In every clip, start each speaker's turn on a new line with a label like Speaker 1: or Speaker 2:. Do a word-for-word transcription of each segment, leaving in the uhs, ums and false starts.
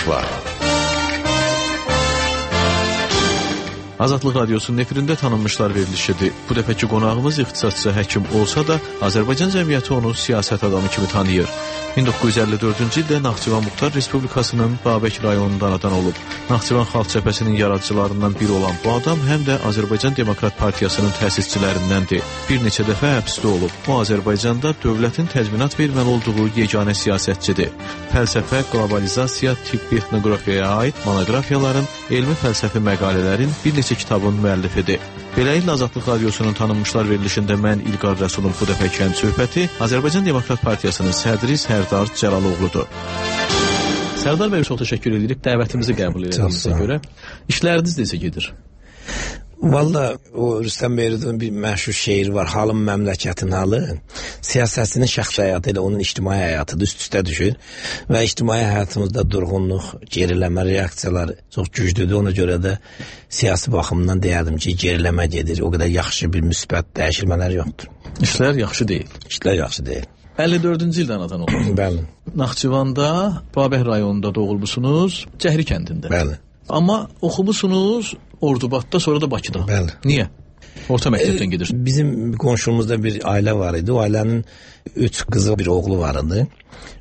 Speaker 1: var. Azadlıq Radiosunun efirində tanınmışlar verilişidir. Bu dəfəki qonağımız ixtisasçı həkim olsa da, Azərbaycan cəmiyyəti onu siyasət adamı kimi tanıyır. min doqquz yüz əlli dördüncü ildə Naxçıvan Muxtar Respublikasının Babək rayonunda anadan olub. Naxçıvan Xalq Cəbhəsinin yaradıcılarından biri olan bu adam həm də Azərbaycan Demokrat Partiyasının təsisçilərindəndir. Bir neçə dəfə həbsdə olub. O, Azərbaycanda dövlətin təzminat verməli olduğu yeganə siyasətçidir. Fəlsəfə, qlobalizasiya, tibbi etnoqrafiyaya aid monoqrafiyaların, elmi fəlsəfi məqalələrin bir neçə kitabın müəllifidir. Beləliklə Azadlıq Radiosunun tanınmışlar verilişində mən İlqar Rəsulun bu dəfəki həm söhbəti Azərbaycan Demokrat Partiyasının sədri Sərdar Cəlaloğludur. Sərdar bəy, çox təşəkkür edirik. Dəvətimizi qəbul edildiyinizə görə. İşləriniz necə gedir?
Speaker 2: Valla o Rüstəm Beyridin bir məşhur şeiri var. Halım məmləkətin halı. Siyasətçinin şəxsi həyatı ilə onun ictimai həyatı üst-üstə düşür. Və ictimai həyatımızda durğunluq, geriləmə reaksiyalar çox güclüdür. Ona görə də siyasi baxımdan deyərdim ki, geriləmə gedir. O qədər yaxşı bir müsbət dəyişilmələr yoxdur.
Speaker 1: İşlər yaxşı deyil.
Speaker 2: İşlər yaxşı deyil.
Speaker 1: əlli dördüncü ildə anadan oldu.
Speaker 2: Bəli.
Speaker 1: Naxçıvanda, Babək rayonunda doğulmusunuz, Cəhri kəndində.
Speaker 2: Bəli.
Speaker 1: Amma oxumusunuz Ordubadda, sonra da Bakıda.
Speaker 2: Bəli.
Speaker 1: Niyə? Orta məktəbdən gedirsiniz.
Speaker 2: Bizim qonşumuzda bir ailə var idi. O ailənin üç qızı, bir oğlu var idi.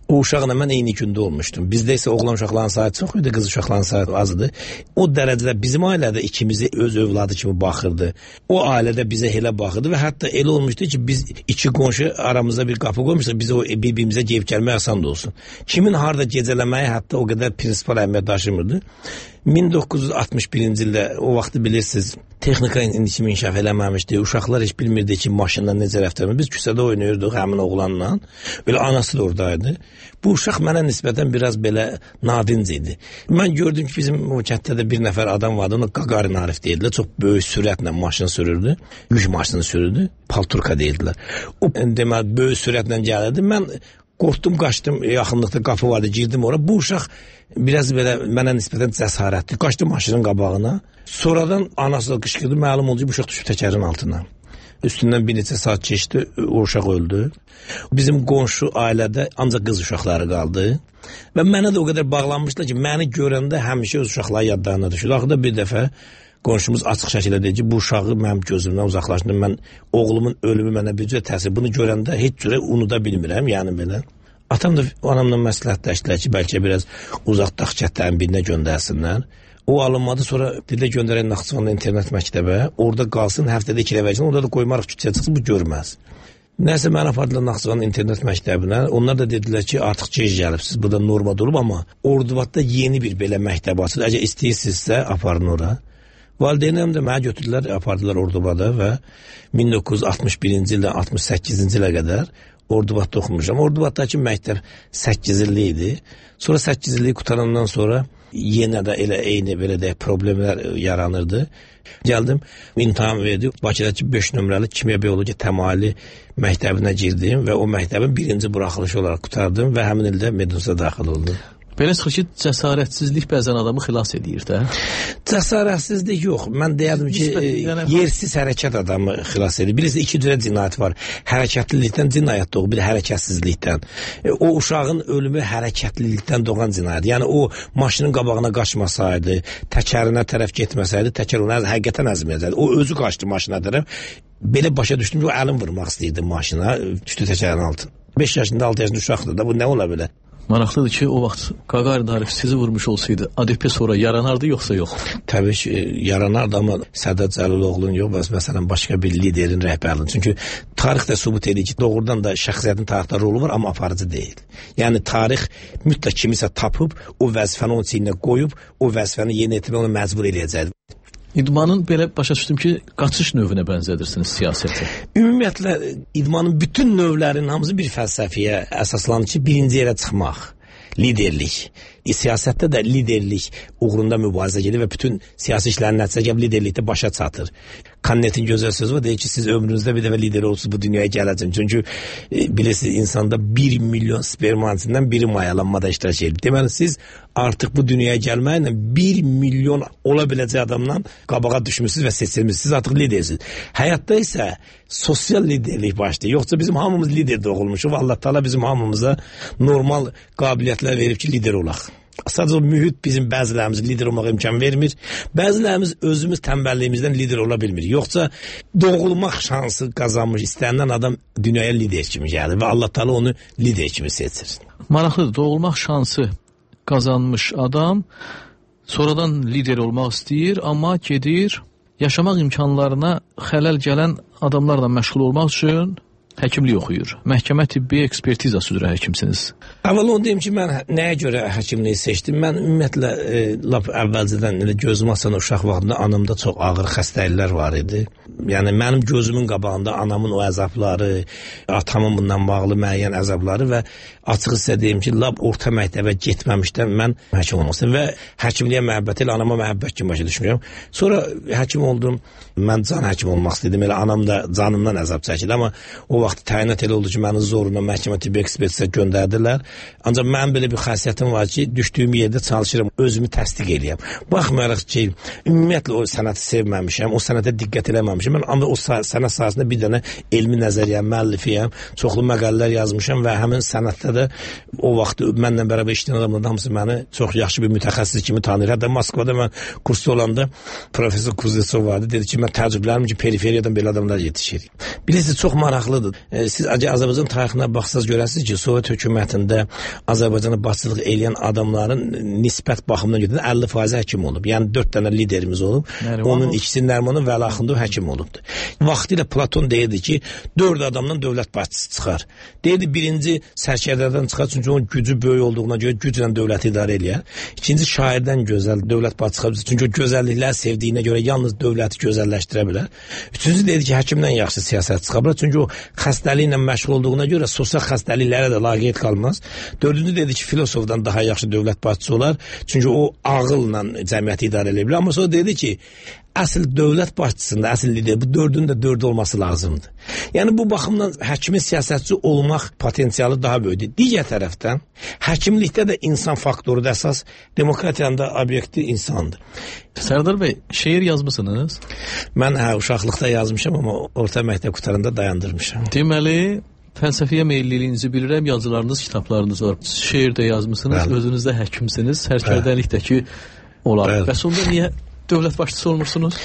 Speaker 2: O uşaqla mən eyni gündə olmuşdum. Bizdə isə oğlan uşaqların sayı çox idi, qız uşaqların sayı azdı. O dərəcədə bizim ailədə ikimizi öz övladı kimi baxırdı. O ailədə bizə elə baxırdı və hətta elə olmuşdu ki, biz iki qonşu aramızda bir qapı qoymuşduq, biz o bir-birimizə gəlib gəlmək asan da olsun. Kimin harda gecələməyi hətta o qədər prinsipal əhəmiyyət daşımırdı. min doqquz yüz altmış birinci ildə o vaxtı bilirsiniz, texnika indiki inkişaf eləməmişdi. Uşaqlar heç bilmirdi ki, maşınla necə rəftar etmək. Biz küçədə oynayırdıq həmin oğlanla. Belə anası da oradaydı. Bu uşaq mənə nisbətən biraz belə nadinc idi. Mən gördüm ki, bizim o kənddə bir nəfər adam vardı. Ona Qaqarin Arif deyildilər. Çox böyük sürətlə maşın sürürdü. Yük maşını sürürdü. Palturka deyildilər. O deməli böyük sürətlə gəlirdi. Mən qorxdum, qaçdım, yaxınlıqda qapı vardı, girdim ora. Bu uşaq biraz belə mənə nisbətən cəsarətli. Qaçdım maşının qabağına. Sonradan anası da qışqırdı. Məlum oldu ki, bu uşaq düşüb təkərin altına. Üstündən bir neçə saat keçdi, o uşaq öldü. Bizim qonşu ailədə ancaq qız uşaqları qaldı. Və mənə də o qədər bağlanmışlar ki, məni görəndə həmişə öz uşaqları yadlarına düşür. Axırda bir dəfə qonşumuz açıq şəkildə dedi ki, bu uşağı mənim gözümdən uzaqlaşdırdım. Mən oğlumun ölümü mənə bir cür təsir. Bunu görəndə heç cürə unuda bilmirəm, yəni belə. Atam da anamla məsləhətləşdilər ki, bəlkə biraz uzaqdaq kəndlərin birinə göndərsinlər. O alınmadı, sonra dilə göndərən Naxçıvanda internet məktəbə, orada qalsın, həftədə iki dəfə versin, orada da qoymarıq küçəyə çıxsın, bu görməz. Nəsə mənə apardılar Naxçıvanda internet məktəbinə, onlar da dedilər ki, artıq gec gəlibsiz, burada norma durub, amma Ordubadda yeni bir belə məktəb açılır, əgər istəyirsinizsə aparın ora. Valideynəm də mənə götürdülər, apardılar Ordubada və min doqquz yüz altmış birinci ildən altmış səkkizinci ilə qədər Ordubadda oxumuşam. Ordubaddakı məktəb səkkiz illik idi. Sonra səkkiz illik qutarandan sonra yenə də elə eyni belə də problemlər yaranırdı. Gəldim, imtahan verdim. Bakıdakı beş nömrəli kimya bioloji təmayüllü məktəbinə girdim və o məktəbin birinci buraxılışı olaraq qutardım və həmin ildə Medunsa daxil oldum.
Speaker 1: Belə çıxır ki, cəsarətsizlik bəzən adamı xilas edir də.
Speaker 2: Cəsarətsizlik yox. Mən deyərdim ki, yəni, yersiz hərəkət adamı xilas edir. Birisi iki cürə cinayət var. Hərəkətlilikdən cinayət doğur, bir hərekətsizlikdən. O uşağın ölümü hərəkətlilikdən doğan cinayət. Yəni o maşının qabağına qaçmasaydı, təkərinə tərəf getməsəydi, təkər onu həqiqətən əzməyəcəkdi. O özü qaçdı maşına tərəf. Belə başa düşdüm ki, o əlin vurmaq istəyirdi maşına, düşdü təkərin altına. beş yaşında, altı yaşında uşaqdır da, bu nə ola bilər?
Speaker 1: Maraqlıdır ki, o vaxt Qaqarin Arif sizi vurmuş olsaydı, A D P sonra yaranardı, yoxsa yox?
Speaker 2: Təbii ki, yaranardı, amma Sədat Cəliloğlu'nun yox, məsələn, başqa bir liderin rəhbərliğinin. Çünki tarix də sübut edir ki, doğrudan da şəxsiyyətin tarixdə rolu var, amma aparıcı deyil. Yəni, tarix mütləq kimisə tapıb, o vəzifəni onun içində qoyub, o vəzifəni yeni etmək onu məcbur eləyəcəkdir.
Speaker 1: İdmanın belə başa düşdüm ki, qaçış növünə bənzədirsiniz siyasəti.
Speaker 2: Ümumiyyətlə, idmanın bütün növlərinin hamısı bir fəlsəfiyə əsaslanır ki, birinci yerə çıxmaq, liderlik. Siyasətdə də liderlik uğrunda mübarizə gedir və bütün siyasi işlərin nəticə gəlib liderlikdə başa çatır. Kannetin gözəl sözü var, deyir ki, siz ömrünüzdə bir dəfə lider olsunuz, bu dünyaya gələcəm. Çünki e, bilirsiniz, insanda bir milyon spermanisindən biri mayalanmada iştirak edir. Deməli, siz artıq bu dünyaya gəlməklə bir milyon ola biləcək adamdan qabağa düşmüşsünüz və seçilmişsiniz. Siz artıq lidersiniz. Həyatda isə sosial liderlik başlayır. Yoxsa bizim hamımız lider doğulmuşuq. Allah Taala bizim hamımıza normal qabiliyyətlər verib ki, lider olaq. Sadəcə o mühit bizim bəzilərimiz lider olmağa imkan vermir. Bəzilərimiz özümüz tənbəlliyimizdən lider ola bilmir. Yoxsa doğulmaq şansı qazanmış istənilən adam dünyaya lider kimi gəlir və Allah Taala onu lider kimi seçir.
Speaker 1: Maraqlıdır, doğulmaq şansı qazanmış adam sonradan lider olmaq istəyir, amma gedir yaşamaq imkanlarına xələl gələn adamlarla məşğul olmaq üçün həkimlik oxuyur. Məhkəmə tibbi ekspertizası üzrə həkimsiniz.
Speaker 2: Əvvəl onu deyim ki, mən nəyə görə həkimliyi seçdim? Mən ümumiyyətlə e, lap əvvəlcədən elə gözüm açan uşaq vaxtında anamda çox ağır xəstəliklər var idi. Yəni mənim gözümün qabağında anamın o əzabları, atamın bundan bağlı müəyyən əzabları və açıq sizə deyim ki, lap orta məktəbə getməmişdən mən həkim olmaq istəyirəm və həkimliyə məhəbbət ilə anama məhəbbət kimi başa düşmürəm. Sonra həkim oldum, mən can həkim olmaq istədim. Elə anam da canımdan əzab çəkirdi, amma o vaxt təyinat elə oldu ki, məni zorla məhkəmə tibbi ekspertizə göndərdilər. Ancaq mənim belə bir xasiyyətim var ki, düşdüyüm yerdə çalışıram, özümü təsdiq eləyəm. Baxmayaraq ki, ümumiyyətlə o sənəti sevməmişəm, o sənətə diqqət eləməmişəm. Mən amma o sənət sahəsində bir dənə elmi nəzəriyyəm, müəllifiyəm, çoxlu məqalələr yazmışam və həmin sənətdə də o vaxt mənlə bərabər işləyən adamların hamısı məni çox yaxşı bir mütəxəssis kimi tanıyır. Hətta Moskvada mən kursda olanda professor Kuznetsov vardı. Dedi ki, mən təəccüblənirəm ki, periferiyadan belə adamlar yetişir. Bilirsiniz, çox maraqlıdır. Siz Azərbaycan tarixinə baxsaz görəsiniz ki, Sovet hökumətində Azərbaycana başçılıq edən adamların nisbət baxımından götürəndə əlli faiz həkim olub. Yəni dörd dənə liderimiz olub. Nərimanov. Onun ikisi Nərimanov, Vəli Axundov həkim olubdu. Vaxtilə Platon deyirdi ki, dörd adamdan dövlət başçısı çıxar. Deyirdi, birinci sərkərdədən çıxar, çünki onun gücü böyük olduğuna görə güclə dövləti idarə eləyər. İkinci şairdən gözəl dövlət başçısı çıxar, çünki o gözəlliklər sevdiyinə görə yalnız dövləti gözəlləşdirə bilər. Üçüncü deyirdi ki, həkimdən yaxşı siyasət çıxa bilər, çünki o xəstəliklə məşğul olduğuna görə sosial xəstəliklərə də laqeyd qalmaz. Dördüncü dedi ki, filosofdan daha yaxşı dövlət başçısı olar, çünki o ağılla cəmiyyəti idarə edə bilər. Amma sonra dedi ki, əsl dövlət başçısında, əsl lider, bu dördünün də dördü olması lazımdır. Yəni bu baxımdan həkimin siyasətçi olmaq potensialı daha böyükdür. Digər tərəfdən, həkimlikdə də insan faktoru da əsas, demokratiyanın da obyekti insandır.
Speaker 1: Sərdar bəy, şeir yazmısınız?
Speaker 2: Mən hə, uşaqlıqda yazmışam, amma orta məktəb qutarında dayandırmışam.
Speaker 1: Deməli, fəlsəfiyə meyilliliyinizi bilirəm, yazılarınız, kitablarınız var. Şeir də yazmısınız, bəli. Özünüz də həkimsiniz, sərkərdəlikdəki olar. Bəs onda niyə dövlət başçısı olmursunuz?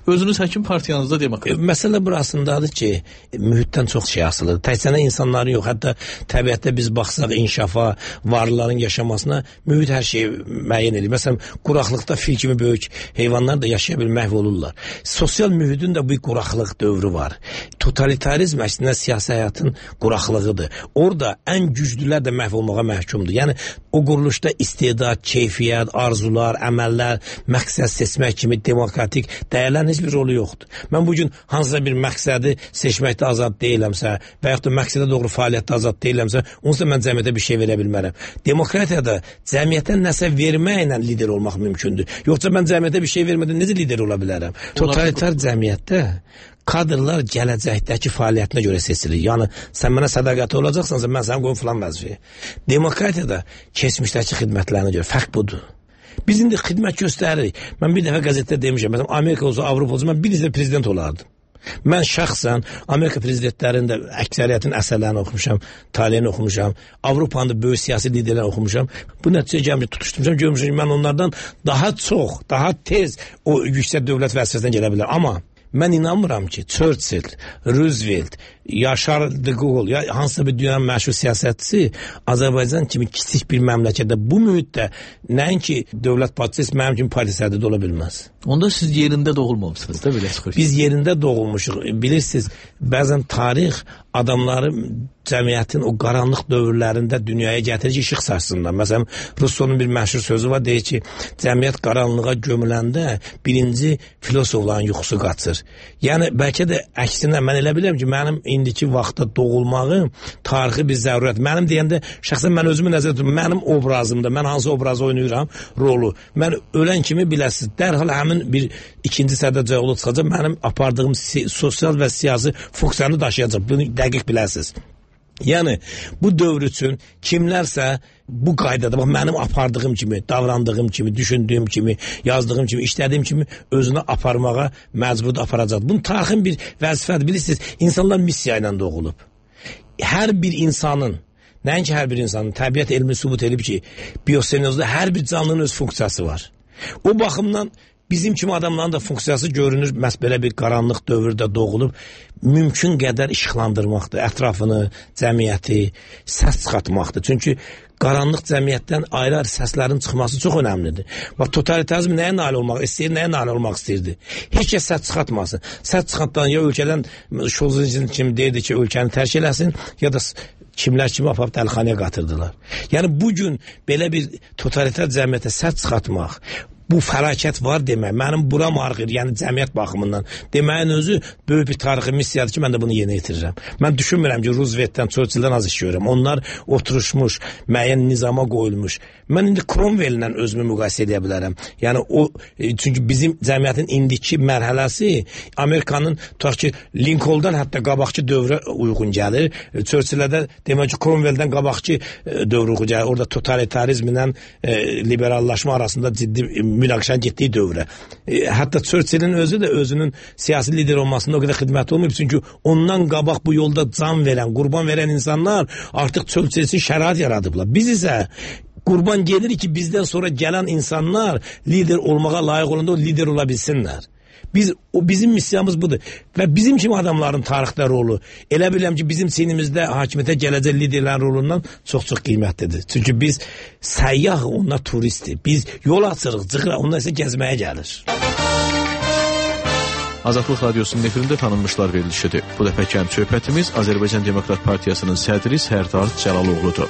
Speaker 1: Özünüz həkim partiyanızda demək.
Speaker 2: Məsələ burasındadır ki, mühitdən çox şey asılıdır. Təkcə insanların yox, hətta təbiətdə biz baxsaq inkişafa, varlıların yaşamasına mühit hər şeyi müəyyən edir. Məsələn, quraqlıqda fil kimi böyük heyvanlar da yaşaya bilmə məhv olurlar. Sosial mühitin də bir quraqlıq dövrü var. Totalitarizm əslində siyasi həyatın quraqlığıdır. Orada ən güclülər də məhv olmağa məhkumdur. Yəni o quruluşda istedad, keyfiyyət, arzular, əməllər, məqsəd seçmək kimi demokratik dəyərlərin heç bir rolu yoxdur. Mən bugün hansısa bir məqsədi seçməkdə azad deyiləmsə və yaxud da məqsədə doğru fəaliyyətdə azad deyiləmsə, onsuz da mən cəmiyyətə bir şey verə bilmərəm. Demokratiyada cəmiyyətə nəsə verməklə lider olmaq mümkündür. Yoxsa mən cəmiyyətə bir şey vermədən necə lider ola bilərəm? Totalitar cəmiyyətdə kadrlar gələcəkdəki fəaliyyətinə görə seçilir. Yəni, sən mənə sədaqətli olacaqsansa, mən səni qoyum filan vəzifəyə. Demokratiyada keçmişdəki xidmətlərinə görə fərq budur. Biz indi xidmət göstəririk. Mən bir dəfə qəzetdə demişəm, məsələn, Amerika olsa, Avropa olsa, mən bir dəfə prezident olardım. Mən şəxsən Amerika prezidentlərinin də əksəriyyətin əsərlərini oxumuşam, taliyini oxumuşam, Avropanın da böyük siyasi liderlərini oxumuşam. Bu nəticəyə gəlmişəm, tutuşdurmuşam, görmüşəm ki, mən onlardan daha çox, daha tez o yüksək dövlət vəzifəsindən gələ bilər. Amma mən inanmıram ki, Churchill, Roosevelt, Yaşar de Gaulle, ya hansısa bir dünyanın məşhur siyasətçisi Azərbaycan kimi kiçik bir məmləkətdə bu mühitdə nəinki dövlət başçısı mənim kimi partiya sədri ola bilməz.
Speaker 1: Onda siz yerində doğulmamışsınız da belə çıxır.
Speaker 2: Biz yerində doğulmuşuq. Bilirsiniz, bəzən tarix adamları cəmiyyətin o qaranlıq dövrlərində dünyaya gətirir ki, işıq saçsınlar. Məsələn, Russo'nun bir məşhur sözü var, deyir ki, cəmiyyət qaranlığa gömüləndə birinci filosofların yuxusu qaçır. Yəni, bəlkə də əksinə mən elə bilirəm ki, mənim indiki vaxtda doğulmağım tarixi bir zərurət. Mənim deyəndə, şəxsən mən özümü nəzər tuturum, mənim obrazımda, mən hansı obrazı oynayıram, rolu. Mən ölən kimi biləsiniz, dərhal həmin bir ikinci sərdə cəğulu çıxacaq, mənim apardığım sosial və siyasi funksiyonu daşıyacaq. Bunu dəqiq biləsiniz. Yəni, bu dövr üçün kimlərsə bu qaydada, bax, mənim apardığım kimi, davrandığım kimi, düşündüyüm kimi, yazdığım kimi, işlədiyim kimi özünü aparmağa məcbur aparacaq. Bunun tarixin bir vəzifədir. Bilirsiniz, insanlar missiya ilə doğulub. Hər bir insanın Nəinki hər bir insanın, təbiət elmi sübut edib ki, biosenozda hər bir canlının öz funksiyası var. O baxımdan bizim kimi adamların da funksiyası görünür, məhz belə bir qaranlıq dövrdə doğulub, mümkün qədər işıqlandırmaqdır, ətrafını, cəmiyyəti, səs çıxartmaqdır. Çünki qaranlıq cəmiyyətdən ayrı-ayrı səslərin çıxması çox önəmlidir. Bax, totalitarizm nəyə nail olmaq istəyir, nəyə nail olmaq istəyirdi? Heç kəs səs çıxartmasın. Səs çıxartdan ya ölkədən, Şolzin kimi deyirdi ki, ölkəni tərk eləsin, ya da kimlər kimi aparıb dəlixanaya qatırdılar. Yəni, bugün belə bir totalitar cəmiyyətə səs çıxartmaq, bu fəlakət var demək, mənim buram ağrır, yəni cəmiyyət baxımından deməyin özü böyük bir tarixi missiyadır ki, mən də bunu yeni itirirəm. Mən düşünmürəm ki, Roosevelt'dən, Churchill'dən az iş görürəm. Onlar oturuşmuş, müəyyən nizama qoyulmuş. Mən indi Cromwell-lə özümü müqayisə edə bilərəm. Yəni o, çünki bizim cəmiyyətin indiki mərhələsi Amerikanın, tutaq ki, Lincoln'dan hətta qabaqçı dövrə uyğun gəlir. Churchill'də demək ki, Cromwell-dən qabaqçı dövrə uyğun gəlir. Orada totalitarizmlə e, liberallaşma arasında ciddi münaqişənin getdiyi dövrə. E, hətta Churchill'in özü də özünün siyasi lider olmasında o qədər xidməti olmayıb. Çünki ondan qabaq bu yolda can verən, qurban verən insanlar artıq Churchill üçün şərait yaradıblar. Biz isə qurban gelir ki, bizdən sonra gələn insanlar lider olmağa layiq olanda o lider ola bilsinlər. Biz, o bizim missiyamız budur. Və bizim kimi adamların tarixdə rolu, elə biləm ki, bizim sinimizdə hakimiyyətə gələcək liderlərin rolundan çox-çox qiymətlidir. Çünki biz səyyah, onlar turistdir. Biz yol açırıq, çıxırıq, onlar isə gəzməyə gəlir.
Speaker 1: Azadlıq Radiosunun efirində tanınmışlar verilişidir. Bu dəfəki həm söhbətimiz Azərbaycan Demokrat Partiyasının sədri Sərdar Cəlaloğludur.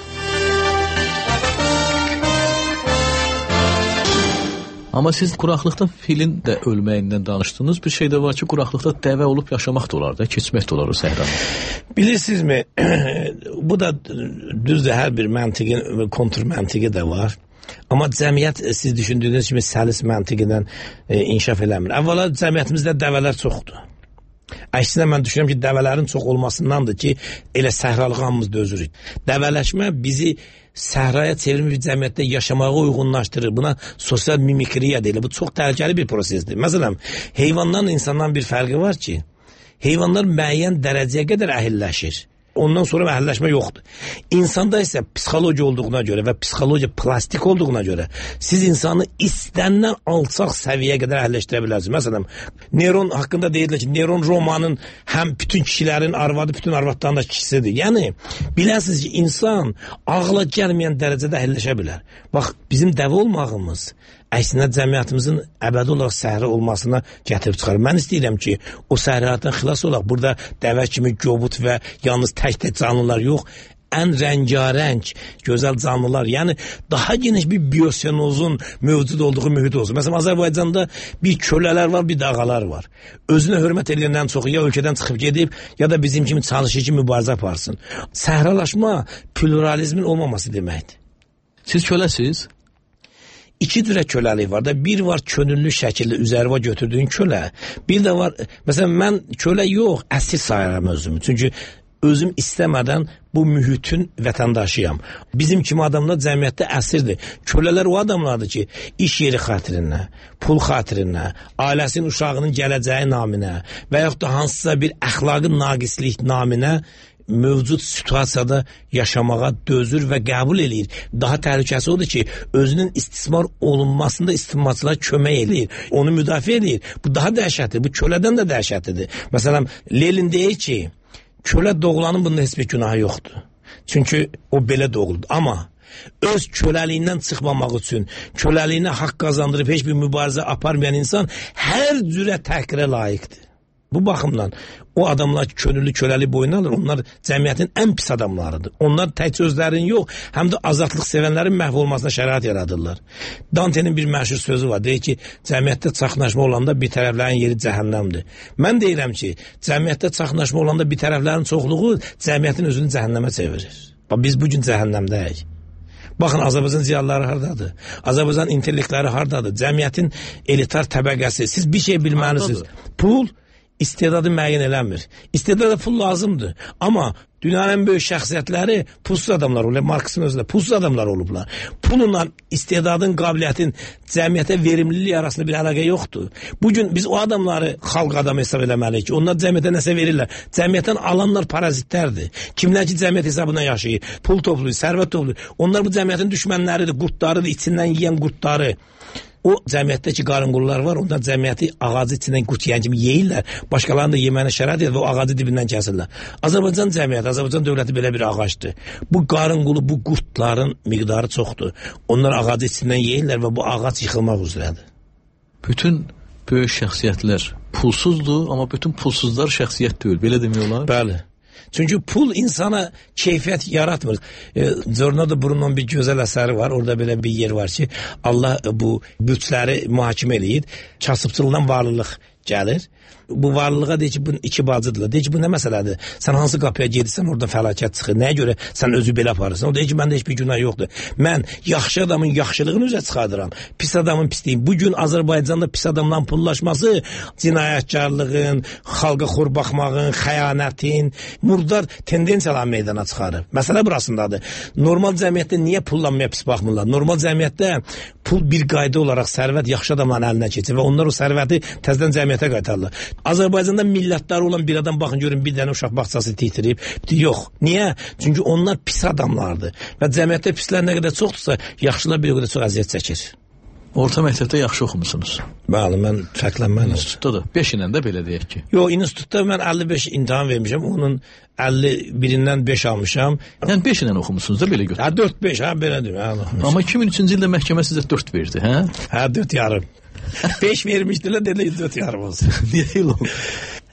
Speaker 1: Amma siz quraqlıqda filin də ölməyindən danışdınız. Bir şey də var ki, quraqlıqda dəvə olub yaşamaq da olar da, keçmək də olar o səhranı.
Speaker 2: Bilirsinizmi, bu da düzdür, hər bir məntiqin və kontr məntiqi də var. Amma cəmiyyət siz düşündüyünüz kimi səlis məntiqindən e, inkişaf eləmir. Əvvəla cəmiyyətimizdə dəvələr çoxdur. Əksinə mən düşünürəm ki, dəvələrin çox olmasındandır ki, elə səhralığı hamımız dözürük. Dəvələşmə bizi səhraya çevrilmiş bir cəmiyyətdə yaşamağa uyğunlaşdırır. Buna sosial mimikriya deyilir. Bu çox təhlükəli bir prosesdir. Məsələn, heyvandan insandan bir fərqi var ki, heyvanlar müəyyən dərəcəyə qədər əhilləşir. Ondan sonra məhəlləşmə yoxdur. İnsanda isə psixoloji olduğuna görə və psixoloji plastik olduğuna görə siz insanı istənilən alçaq səviyyəyə qədər əhəlləşdirə bilərsiniz. Məsələn, Neron haqqında deyirlər ki, Neron Romanın həm bütün kişilərin arvadı, bütün arvadların da kişisidir. Yəni, biləsiniz ki, insan ağla gəlməyən dərəcədə əhəlləşə bilər. Bax, bizim dəvə olmağımız əksinə cəmiyyətimizin əbədi olaraq səhra olmasına gətirib çıxarır. Mən istəyirəm ki, o səhralardan xilas olaq. Burada dəvə kimi gobut və yalnız tək-tək canlılar yox, ən rəngarəng, gözəl canlılar, yəni daha geniş bir biosenozun mövcud olduğu mühit olsun. Məsələn, Azərbaycanda bir kölələr var, bir dağalar var. Özünə hörmət edilənlərin çoxu ya ölkədən çıxıb gedib, ya da bizim kimi çalışır ki, mübarizə aparsın. Səhralaşma pluralizmin olmaması deməkdir.
Speaker 1: Siz köləsiz?
Speaker 2: İki cürə köləlik var da, bir var könüllü şəkildə üzərvə götürdüyün kölə, bir də var, məsələn, mən kölə yox, əsir sayıram özümü. Çünki özüm istəmədən bu mühitin vətəndaşıyam. Bizim kimi adamlar cəmiyyətdə əsirdir. Kölələr o adamlardır ki, iş yeri xatirinə, pul xatirinə, ailəsinin, uşağının gələcəyi naminə və yaxud da hansısa bir əxlaqı naqislik naminə mövcud situasiyada yaşamağa dözür və qəbul edir. Daha təhlükəsi odur ki, özünün istismar olunmasında istismarçılar kömək edir, onu müdafiə edir. Bu daha dəhşətlidir, bu kölədən də dəhşətlidir. Məsələn, Lenin deyir ki, kölə doğulanın bunda heç bir günahı yoxdur. Çünki o belə doğuldu. Amma öz köləliyindən çıxmamaq üçün, köləliyinə haqq qazandırıb heç bir mübarizə aparmayan insan hər cürə təhqirə layiqdir. Bu baxımdan o adamlar ki, könüllü köləli boyuna alır, onlar cəmiyyətin ən pis adamlarıdır. Onlar tək özlərin yox, həm də azadlıq sevənlərin məhv olmasına şərait yaradırlar. Dante'nin bir məşhur sözü var, deyir ki, cəmiyyətdə çaxnaşma olanda bir tərəflərin yeri cəhənnəmdir. Mən deyirəm ki, cəmiyyətdə çaxnaşma olanda bir tərəflərin çoxluğu cəmiyyətin özünü cəhənnəmə çevirir. Bax, biz bugün cəhənnəmdəyik. Baxın, Azərbaycan ziyalıları hardadır? Azərbaycan intellektləri hardadır? Cəmiyyətin elitar təbəqəsi. Siz bir şey bilməlisiniz. Pul istedadı müəyyən eləmir. İstedada pul lazımdır. Amma dünyanın en böyük şəxsiyyətləri pulsuz adamlar olublar. Marksın özündə pulsuz adamlar olublar. Pulla istedadın, qabiliyyətin cəmiyyətə verimliliyi arasında bir əlaqə yoxdur. Bugün biz o adamları xalq adamı hesab eləməliyik ki, onlar cəmiyyətə nəsə verirlər. Cəmiyyətdən alanlar parazitlərdir. Kimlər ki cəmiyyət hesabına yaşayır, pul toplayır, sərvət toplayır. Onlar bu cəmiyyətin düşmənləridir, qurtlarıdır, içindən yiyən qurtları. O cəmiyyətdəki qarınqullar var, onlar cəmiyyəti ağacı içindən qurt yeyən kimi yeyirlər. Başqalarını da yeməyinə şərait edir və o ağacı dibindən kəsirlər. Azərbaycan cəmiyyəti, Azərbaycan dövləti belə bir ağacdır. Bu qarınqulu, bu qurtların miqdarı çoxdur. Onlar ağacı içindən yeyirlər və bu ağac yıxılmaq üzrədir.
Speaker 1: Bütün böyük şəxsiyyətlər pulsuzdur, amma bütün pulsuzlar şəxsiyyət deyil. Belə demək olar?
Speaker 2: Bəli. Çünkü pul insana keyfiyyət yaratmır. E, Zornado Bruno'nun bir gözəl əsəri var. Orada belə bir yer var ki, Allah bu bütləri mühakimə eləyir. Kasıbçılıqdan varlılıq gəlir. Bu varlılığa deyir ki, bunun iki bacıdırlar. Deyir ki, bu nə məsələdir? Sən hansı qapıya gedirsən, orada fəlakət çıxır. Nəyə görə sən özü belə aparırsan? O deyir ki, məndə heç bir günah yoxdur. Mən yaxşı adamın yaxşılığını üzə çıxardıram. Pis adamın pisliyim. Bugün Azərbaycanda pis adamdan pullaşması cinayətkarlığın, xalqa xor baxmağın, xəyanətin, murdar tendensiyalar meydana çıxarır. Məsələ burasındadır. Normal cəmiyyətdə niyə pullanmaya pis baxmırlar? Normal cəmiyyətdə pul bir qayda olaraq sərvət yaxşı adamların əlinə keçir və onlar o sərvəti təzədən cəmiyyətə qaytarırlar. Azərbaycanda millətləri olan bir adam baxın görün bir dənə uşaq bağçası titriyib. Yox. Niyə? Çünki onlar pis adamlardır. Və cəmiyyətdə pislər nə qədər çoxdursa, yaxşılar bir o qədər çox əziyyət çəkir.
Speaker 1: Orta məktəbdə yaxşı oxumusunuz.
Speaker 2: Bəli, mən fərqlənməyəm.
Speaker 1: İnstitutda da beş ilə də belə deyək ki.
Speaker 2: Yox, institutda mən əlli beş imtahan vermişəm. Onun əlli birindən beş almışam.
Speaker 1: Yəni beş ilə oxumusunuz da belə götürün.
Speaker 2: Hə, dörd beş, hə, belə deyim.
Speaker 1: Amma iki min üçüncü ildə məhkəmə sizə dörd verdi, hə?
Speaker 2: Hə, dörd yarım. beş vermişdilər, dediler dörd yarım olsun.
Speaker 1: Niyə elə oldu?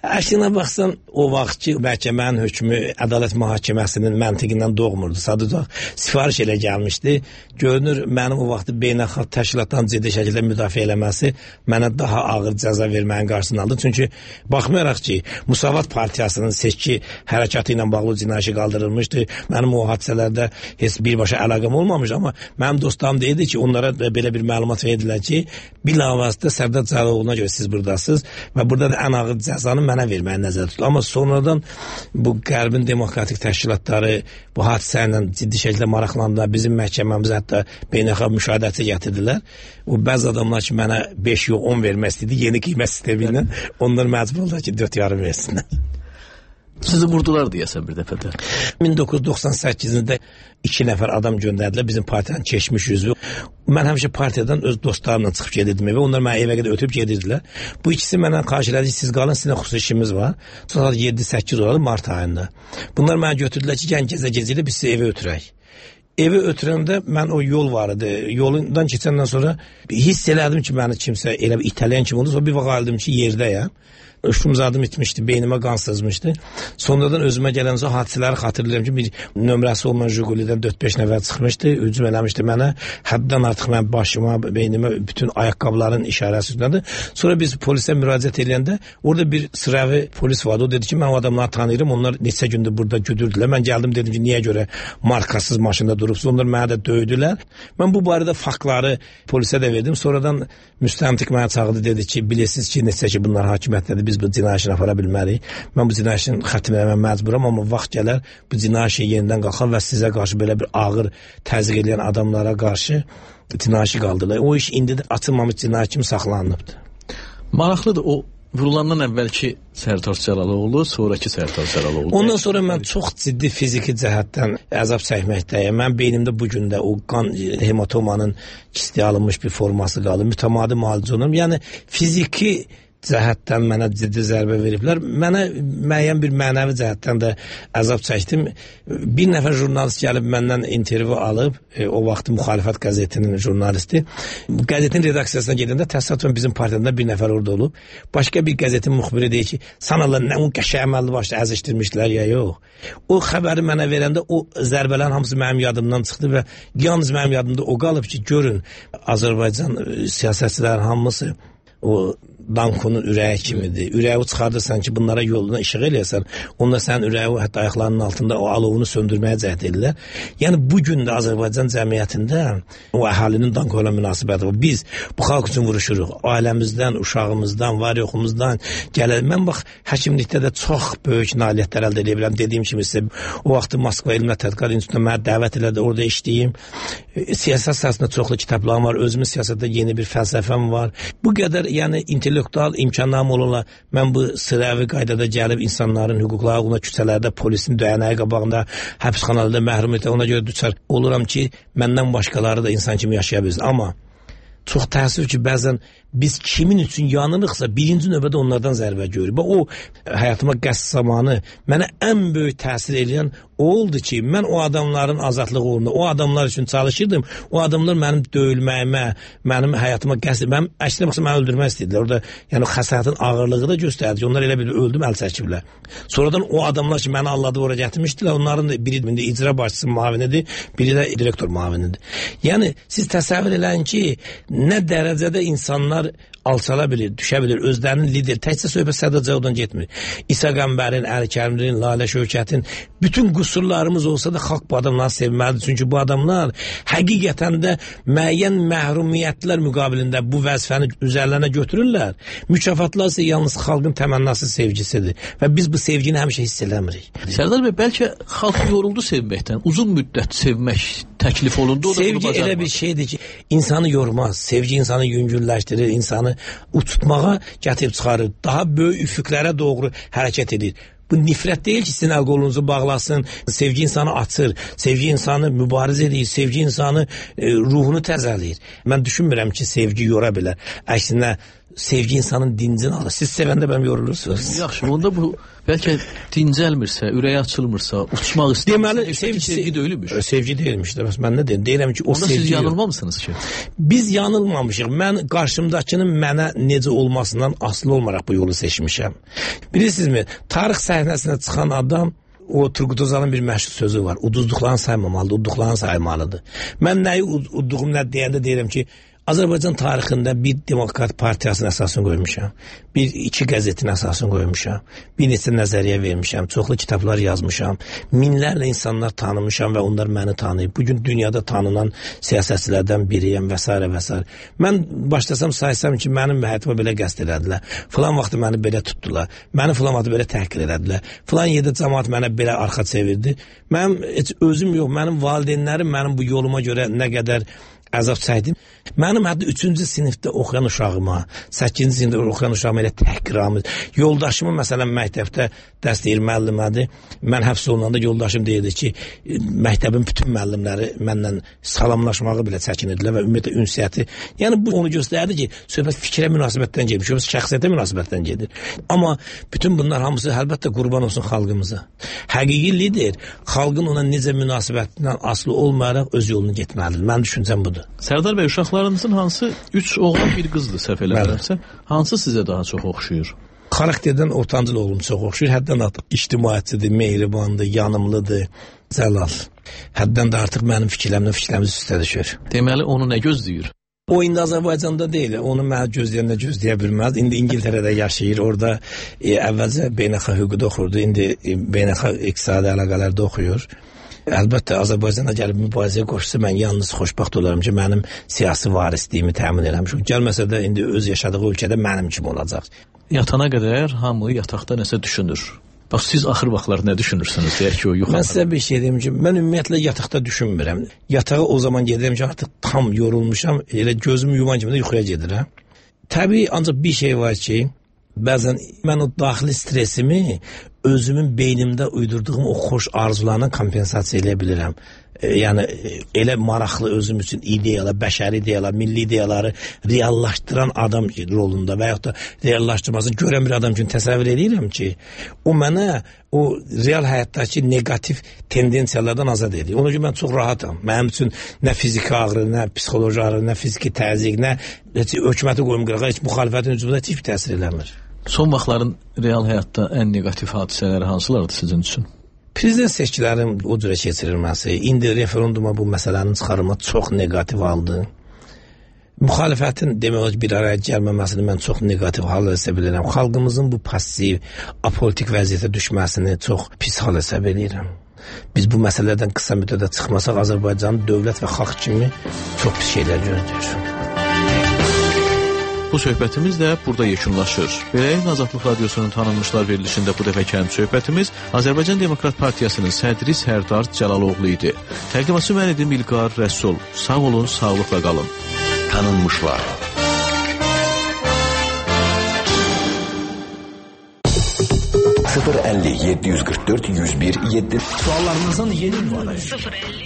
Speaker 2: Əslində baxsan, o vaxtki məhkəmənin hökmü ədalət mühakiməsinin məntiqindən doğmurdu. Sadəcə sifariş elə gəlmişdi. Görünür, mənim o vaxtı beynəlxalq təşkilatdan ciddi şəkildə müdafiə eləməsi mənə daha ağır cəza verməyin qarşısını aldı. Çünki baxmayaraq ki, Musavat Partiyasının seçki hərəkatı ilə bağlı cinayəti qaldırılmışdı. Mənim o hadisələrdə heç birbaşa əlaqəm olmamış, amma mənim dostlarım deyirdi ki, onlara belə bir məlumat verdilər ki, bilavasitə Sərdar Cəlalovuna görə siz buradasınız və burada da ən ağır cəzanı mənə verməyə nəzərdə tutulur. Amma sonradan bu qərbin demokratik təşkilatları bu hadisə ilə ciddi şəkildə maraqlandılar. Bizim məhkəməmizə hətta beynəlxalq müşahidəçi gətirdilər. O bəzi adamlar ki, mənə beş yox on vermək istəyirdi. Yeni qiymət sistemi ilə onlar məcbur oldular ki, dörd yarım versinlər.
Speaker 1: Sizi vurdular deyəsən bir dəfə də.
Speaker 2: min doqquz yüz doxsan səkkizdə iki nəfər adam göndərdilər bizim partiyanın keçmiş üzvü. Mən həmişə partiyadan öz dostlarımla çıxıb gedirdim və onlar mənə evə qədər ötüb gedirdilər. Bu ikisi məndən xahiş elədi, siz qalın, sizinlə xüsusi işimiz var. Sonra yeddi səkkiz olalı mart ayında. Bunlar mənə götürdülər ki, gən gecə gecə biz sizi evə ötürək. Evə ötürəndə mən o yol var idi. Yolundan keçəndən sonra hiss elədim ki, məni kimsə elə bir itələyən kimi oldu. Sonra bir vaxt aldım ki, yerdəyəm. Uşumzadım itmişdi, beynimə qan sızmışdı. Sonradan özümə gələn o hadisələri xatırlayıram ki, bir nömrəsi olmayan Jiguli'dən dörd beş nəfər çıxmışdı, hücum eləmişdi mənə. Həddən artıq mən başıma, beynimə bütün ayaqqabıların işarəsi üstünədir. Sonra biz polisə müraciət edəndə orada bir sıravi polis vardı. O dedi ki, mən o adamları tanıyırım, onlar neçə gündür burada güdürdülər. Mən gəldim dedim ki, niyə görə markasız maşında durubsunuz? Onlar mənə də döydülər. Mən bu barədə faktları polisə də verdim. Sonradan müstəntiq mənə çağırdı, dedi ki, bilirsiniz ki, neçə ki bunlar hakimiyyətdədir, biz bu cinayətini apara bilmərik. Mən bu cinayətin xətm eləmə məcburam, amma vaxt gələr bu cinayət yenidən qalxar və sizə qarşı belə bir ağır təzyiq edən adamlara qarşı cinayəti qaldırırlar. O iş indi də açılmamış cinayət kimi saxlanılıbdır.
Speaker 1: Maraqlıdır, o vurulandan əvvəlki Sərdar Cəlaloğlu, sonraki Sərdar Cəlaloğlu.
Speaker 2: Ondan sonra mən çox ciddi fiziki cəhətdən əzab çəkməkdəyəm. Mən beynimdə bu gün də o qan hematomanın kistiyə alınmış bir forması qalır. Mütəmadi müalicə olunur. Yəni fiziki cəhətdən mənə ciddi zərbə veriblər. Mənə müəyyən bir mənəvi cəhətdən də əzab çəkdim. Bir nəfər jurnalist gəlib məndən intervyu alıb, e, o vaxt Müxalifət qəzetinin jurnalisti. Qəzetin redaksiyasına gedəndə təsadüfən bizim partiyadan bir nəfər orada olub. Başqa bir qəzetin müxbiri deyir ki, sanalar nə un qəşəng əməlli başda əzişdirmişlər ya yox. O xəbəri mənə verəndə o zərbələrin hamısı mənim yadımdan çıxdı və yalnız mənim yadımda o qalıb ki, görün Azərbaycan siyasətçilərin hamısı o dankonun ürəyi kimidir. Ürəyi çıxardırsan ki, bunlara yoluna işıq eləyəsən, onda sənin ürəyi hətta ayaqlarının altında o alovunu söndürməyə cəhd edirlər. Yəni bu gün də Azərbaycan cəmiyyətində o əhalinin danko ilə münasibəti var. Biz bu xalq üçün vuruşuruq. Ailəmizdən, uşağımızdan, var yoxumuzdan gəlir. Mən bax, həkimlikdə də çox böyük nailiyyətlər əldə edə bilirəm. Dediyim kimi sizə, o vaxtı Moskva Elm və Tədqiqat İnstitutuna mənə dəvət elədi, orada işləyim. Siyasət sahəsində çoxlu kitablarım var, özümün siyasətdə yeni bir fəlsəfəm var. Bu qədər, yəni intellektual imkanlarım olanlar, mən bu sıravi qaydada gəlib insanların hüquqları uğruna küçələrdə, polisin döyənəyi qabağında, həbsxanalarda məhrum etə, ona görə düçar oluram ki, məndən başqaları da insan kimi yaşaya bilsin. Amma çox təəssüf ki, bəzən biz kimin üçün yanırıqsa, birinci növbədə onlardan zərbə görürük. O, həyatıma qəsd zamanı mənə ən böyük təsir edən o oldu ki, mən o adamların azadlığı uğrunda, o adamlar üçün çalışırdım. O adamlar mənim döyülməyimə, mənim həyatıma qəsd, mənim əksinə baxsa məni öldürmək istədilər. Orada, yəni xəsarətin ağırlığı da göstərdi ki, onlar elə bir öldüm, əl çəkiblər. Sonradan o adamlar ki, məni alladı ora gətirmişdilər, onların da biri indi icra başçısı müavinidir, biri də direktor müavinidir. Yəni, siz təsəvvür eləyin ki, nə dərəcədə insanlar alçala bilir, düşə bilir, özlərinin lider, təkcə söhbət Sədr Cəvdan getmir. İsa Qəmbərin, Əli Kərimlinin, Lalə Şövkətin, bütün qüsurlarımız olsa da xalq bu adamları sevməlidir. Çünki bu adamlar həqiqətən də müəyyən məhrumiyyətlər müqabilində bu vəzifəni üzərlərinə götürürlər. Mükafatlar isə yalnız xalqın təmənnası sevgisidir və biz bu sevgini həmişə hiss eləmirik.
Speaker 1: Sərdar bəy, bəlkə xalq yoruldu sevməkdən, uzun müddət sevmək təklif olundu.
Speaker 2: Sevgi elə bir şeydir ki, insanı yormaz, sevgi insanı yüngülləşdirir, insanı uçutmağa gətirib çıxarır, daha böyük üfüqlərə doğru hərəkət edir. Bu nifrət deyil ki, sizin əl qolunuzu bağlasın, sevgi insanı açır, sevgi insanı mübarizə edir, sevgi insanı e, ruhunu təzələyir. Mən düşünmürəm ki, sevgi yora bilər. Əksinə, sevgi insanın dincini alır. Siz sevəndə bəlkə yorulursunuz.
Speaker 1: Yaxşı, onda bu bəlkə dincəlmirsə, ürəyi açılmırsa, uçmaq istəyirsə,
Speaker 2: deməli, sevgi,
Speaker 1: sevgi deyilmiş.
Speaker 2: Sevgi deyilmiş. Bəs mən nə deyim? Deyirəm ki, o
Speaker 1: onda
Speaker 2: sevgi.
Speaker 1: Siz yanılmamısınız ki?
Speaker 2: Biz yanılmamışıq. Mən qarşımdakının mənə necə olmasından asılı olmaraq bu yolu seçmişəm. Bilirsinizmi? Tarix səhnəsinə çıxan adam, o Turgut Özal'ın bir məşhur sözü var. Uduzduqlarını saymamalıdır, udduqlarını saymalıdır. Mən nəyi udduğum nə deyəndə deyirəm ki, Azərbaycan tarixində bir Demokrat Partiyasının əsasını qoymuşam, bir iki qəzetin əsasını qoymuşam, bir neçə nəzəriyyə vermişəm, çoxlu kitablar yazmışam, minlərlə insanlar tanımışam və onlar məni tanıyıb. Bugün dünyada tanınan siyasətçilərdən biriyəm və s. və s. Mən başlasam saysam ki, mənim həyatıma belə qəsd elədilər, filan vaxtı məni belə tutdular, məni filan vaxtı belə təhqir elədilər, filan yerdə cəmaat mənə belə arxa çevirdi. Mənim heç özüm yox, mənim valideynlərim mənim bu yoluma görə nə qədər əzab çəkdim. Mənim hətta üçüncü sinifdə oxuyan uşağıma, səkkizinci sinifdə oxuyan uşağıma elə təhqiramız. Yoldaşımı məsələn məktəbdə dərs deyir müəllimədir. Mən həbs olunanda yoldaşım deyirdi ki, məktəbin bütün müəllimləri məndən salamlaşmağı belə çəkinirdilər və ümumiyyətlə ünsiyyəti. Yəni bu onu göstərdi ki, söhbət fikrə münasibətdən gedir, söhbət şəxsiyyətə münasibətdən gedir. Amma bütün bunlar hamısı əlbəttə qurban olsun xalqımıza. Həqiqi lider xalqın ona necə münasibətindən asılı olmayaraq öz yolunu getməlidir. Mənim düşüncəm budur.
Speaker 1: Sərdar bəy, uşaqlarınızın hansı üç oğlan bir qızdır səhv eləmirəmsə, hansı sizə daha çox oxşuyur?
Speaker 2: Xarakterdən ortancıl oğlum çox oxşuyur. Həddən artıq ictimaiyyətçidir, mehribandır, yanımlıdır, cəlal. Həddən də artıq mənim fikirlərimlə fikirlərimiz üstə düşür.
Speaker 1: Deməli, onu nə gözləyir?
Speaker 2: O indi Azərbaycanda deyil, onu mənə gözləyəndə gözləyə bilməz. İndi İngiltərədə yaşayır, orada e, əvvəlcə beynəlxalq hüquqda oxurdu, indi e, beynəlxalq iqtisadi əlaqələrdə oxuyur. Əlbəttə, Azərbaycana gəlib mübarizəyə qoşsa, mən yalnız xoşbaxt olaram ki, mənim siyasi varisliyimi təmin eləmişim. Gəlməsə də indi öz yaşadığı ölkədə mənim kimi olacaq.
Speaker 1: Yatana qədər hamı yataqda nəsə düşünür. Bax, siz axır vaxtlar nə düşünürsünüz? Deyək ki, o yuxarı.
Speaker 2: Mən sizə bir şey deyim ki, mən ümumiyyətlə yataqda düşünmürəm. Yatağa o zaman gedirəm ki, artıq tam yorulmuşam, elə gözümü yuman kimi də yuxuya gedirəm. Təbii, ancaq bir şey var ki, bəzən mən o daxili stresimi özümün beynimdə uydurduğum o xoş arzularla kompensasiya edə bilirəm. E, yəni elə maraqlı özüm üçün ideyalar, bəşəri ideyalar, milli ideyaları reallaşdıran adam rolunda və yaxud da reallaşdırmasını görən bir adam üçün təsəvvür edirəm ki, o mənə o real həyatdakı negativ tendensiyalardan azad edir. Ona görə mən çox rahatam. Mənim üçün nə fiziki ağrı, nə psixoloji ağrı, nə fiziki təzyiq, nə heç hökuməti qoyum qırağa, heç müxalifətin hücumuna heç bir təsir eləmir.
Speaker 1: Son vaxtların real həyatda ən negativ hadisələri hansılardır sizin üçün?
Speaker 2: Prezident seçkilərin o cürə keçirilməsi, indi referenduma bu məsələnin çıxarılması çox negativ aldı. Müxalifətin demək olar bir araya gəlməməsini mən çox neqativ hal hesab edirəm. Xalqımızın bu passiv, apolitik vəziyyətə düşməsini çox pis hal hesab edirəm. Biz bu məsələlərdən qısa müddətdə çıxmasaq Azərbaycanın dövlət və xalq kimi çox pis şeylər görəcəyik.
Speaker 1: Bu söhbətimiz də burada yekunlaşır. Beləliklə Azadlıq Radiosunun tanınmışlar verilişində bu dəfəki həm söhbətimiz Azərbaycan Demokrat Partiyasının sədri Sərdar Cəlaloğlu idi. Təqdimatçı mən idim İlqar Rəsul. Sağ olun, sağlıqla qalın.
Speaker 3: Tanınmışlar. sıfır elli yedi yüz kırk dört yüz bir yedi.
Speaker 4: Suallarınızın yeni ünvanı. sıfır elli